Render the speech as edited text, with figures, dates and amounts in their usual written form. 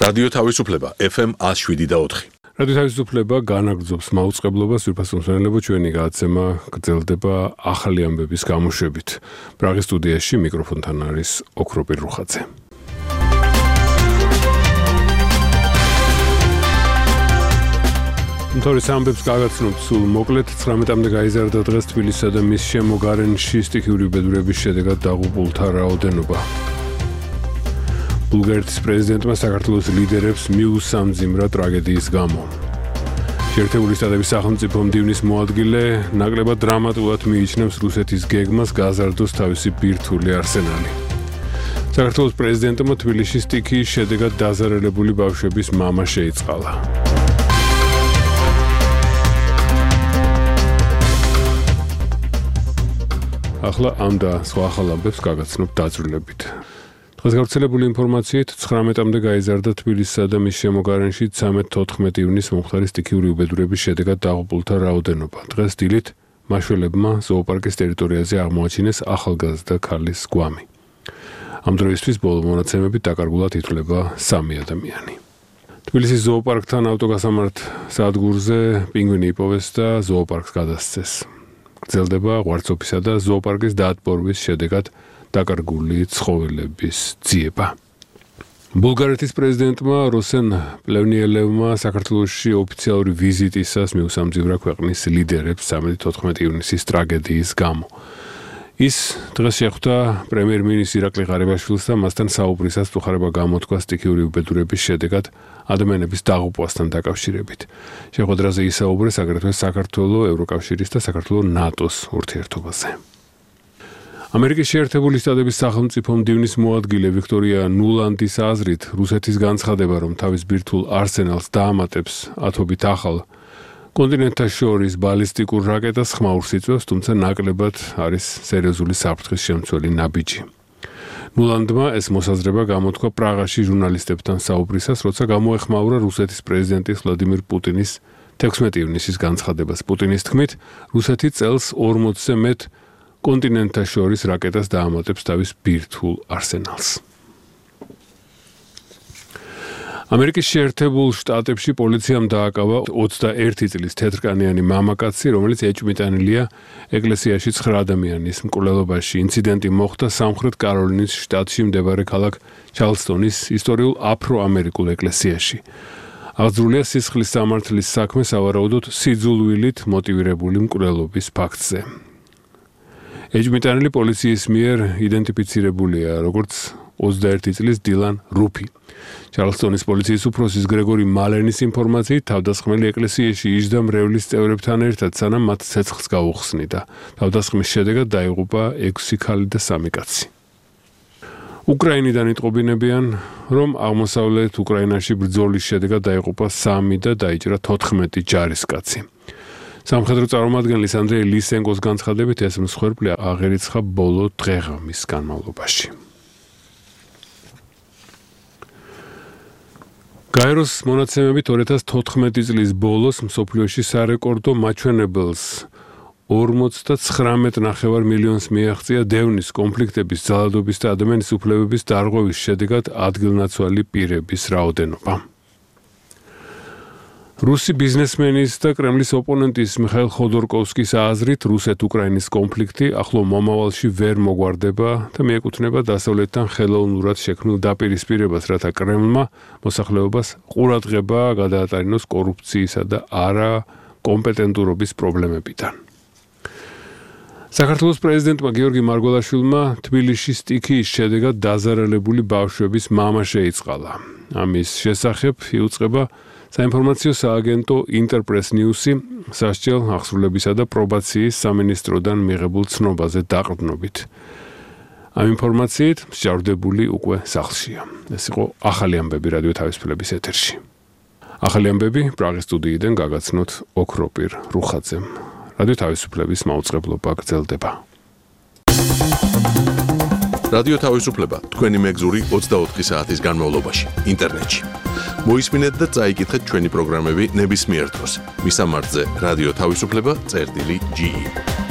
რადიო თავისუფლება FM 107.4. რადიო თავისუფლება განაგრძობს მაუწყებლობას, ვირფასმსმენელებო ჩვენი გადაცემა გრძელდება ახალი ამბების გამოშვებით. პრაღის სტუდიაში მიკროფონთან არის ოქროპირ რუხაძე. თორის ამბებს გაგაცნობთ სულ მოკლედ 19-მდე გაიზარდა დღეს თბილისსა და მის შემოგარენში სტიქიური უბედურების შედეგად დაღუპულთა რაოდენობა. ბულგარეთის პრეზიდენტმა საქართველოს ლიდერებს მიუსამძიმრა ტრაგედიის გამო. შეერთებული შტატების სახელმწიფო მდივნის მოადგილე ნაკლებად დრამატულად მიიჩნევს რუსეთის გეგმას გაზარდოს თავისი ბირთვული არსენალი. საქართველოს პრეზიდენტმა თბილისში სტიქიის შედეგად დაზარალებული ბავშვების მამა შეიწყალა. ახლა ამ და სხვა ახალ ამბებს გაგაცნობთ დაწვრილებით. დღეს გავრცელებული ინფორმაციით 19-მდე გაიზარდა თბილისსა და მის შემოგარენში 13-14 ივნისს მომხდარი სტიქიური უბედურების შედეგად დაღუპულთა რაოდენობა. დღეს დილით მაშველებმა ზოოპარკის ტერიტორიაზე აღმოაჩინეს ახალგაზრდა ქალის გვამი. ამ დროისთვის ბოლო მონაცემებით დაკარგულად ითვლება 3 ადამიანი. თბილისის ზოოპარკთან ავტოგასამართ სადგურზე პინგვინი იპოვეს და ზოოპარკს გადასცეს. გრძელდება ღვარცოფისა და ზოოპარკის დაატბორვის შედეგად დაკარგული ცხოველების ძიება. ბულგარეთის პრეზიდენტმა როსენ პლევნიელევმა საქართველოში ოფიციალური ვიზიტისას მიუსამძიმრა ქვეყნის ლიდერებს 13-14 ივნისის ტრაგედიის გამო. ის დღეს შეხვდა პრემიერ-მინისტრ ირაკლი ღარიბაშვილს და მასთან საუბრისას მწუხარება გამოთქვა სტიქიური უბედურების შედეგად ადამიანების დაღუპვასთან დაკავშირებით. შეხვედრაზე ისაუბრეს აგრეთვე საქართველოს, ევროკავშირის და საქართველოს ნატოს ურთიერთობაზე. ამერიკის შეერთებული შტატების სახელმწიფო მდივნის მოადგილე ვიქტორია ნულანდის აზრით, რუსეთის განცხადება, რომ თავის ბირთვულ არსენალს დაამატებს ათობით ახალ კონტინენტთა შორის ბალისტიკურ რაკეტას ხმაურს იწვევს, თუმცა ნაკლებად არის სერიოზული საფრთხის შემცველი ნაბიჯი. ნულანდმა ეს მოსაზრება გამოთქვა პრაღაში ჟურნალისტებთან საუბრისას, როცა გამოეხმაურა რუსეთის პრეზიდენტის ვლადიმირ პუტინის 16 ივნისის განცხადებას. პუტინის თქმით, რუსეთი წელს 40-ზე მეტ კონტინენტთა შორის რაკეტას დაამატებს თავის ბირთვულ არსენალს. ამერიკის შეერთებულ შტატებში პოლიციამ დააკავა 21 წლის თეთრკანიანი მამაკაცი, რომელიც ეჭვმიტანილია ეკლესიაში 9 ადამიანის მკვლელობაში. ინციდენტი მოხდა სამხრეთ კაროლინის შტატში მდებარე ქალაქ ჩარლსტონის ისტორიულ აფრო-ამერიკულ ეკლესიაში. აღძრულია სისხლის სამართლის საქმე სავარაუდოდ სიძულვილით მოტივირებული მკვლელობის ფაქტზე. ეჭვმიტანილი პოლიციის მიერ იდენტიფიცირებულია როგორც 21 წლის დილან რუფი. ჩარლსტონის პოლიციის უფროსის გრეგორი მალენის ინფორმაციით, თავდასხმელი ეკლესიაში იჯდა მრევლის წევრებთან ერთად, სანამ მათ ცეცხლს გაუხსნიდა. თავდასხმის შედეგად დაიღუპა 6 ქალი და 3 კაცი. უკრაინიდან იტყობინებიან, რომ აღმოსავლეთ უკრაინაში ბრძოლის შედეგად დაიღუპა 3 და დაიჭრა 14 ჯარისკაცი. სამხედრო წარმომადგენლის ანდრეი ლისენკოს განცხადებით, ეს მსხვერპლი აღერიცხა ბოლო დღეღამის განმავლობაში. გაეროს მონაცემებით 2014 წლის ბოლოს მსოფლიოში სარეკორდო მაჩვენებელს 59,9 მილიონს მიაღწია დევნის, კონფლიქტების, ძალადობის და ადამიანის უფლებების დარღვევის შედეგად ადგილნაცვალი პირების რაოდენობა. რუსი ბიზნესმენის და კრემლის ოპონენტის მიხაილ ხოდორკოვსკის აზრით, რუსეთ-უკრაინის კონფლიქტი ახლო მომავალში ვერ მოგვარდება და მიეკუთვნება დასავლეთთან ხელოვნურად შექმნილ დაპირისპირებას, რათა კრემლმა მოსახლეობას ყურადღება გადაატარინოს კორუფციისა და არა კომპეტენტურობის პრობლემებიდან. საქართველოს პრეზიდენტმა გიორგი მარგველაშვილმა თბილისში სტიქიის შედეგად დაზარალებული ბავშვების მამა შეიწყალა. ამის შესახებ იუწყება საინფორმაციო სააგენტო ინტერპრეს ნიუსი სასჯელ აღსრულებისა და პრობაციის სამინისტროდან მიღებულ ცნობაზე დაყრდნობით. ამ ინფორმაციით მსჯავრდებული უკვე სახლშია. ეს იყო ახალი ამბები რადიო თავისუფლების ეთერში. ახალი ამბები პრაღის სტუდიიდან გაგაცნოთ ოქროპირ რუხაძემ. რადიო თავისუფლების მაუწყებლობა გრძელდება. რადიო თავისუფლება თქვენი მეგზური 24 საათის განმავლობაში ინტერნეტში. მოისმინეთ და წაიკითხეთ ჩვენი პროგრამები ნებისმიერ დროს. მისამართზე რადიო თავისუფლება.ge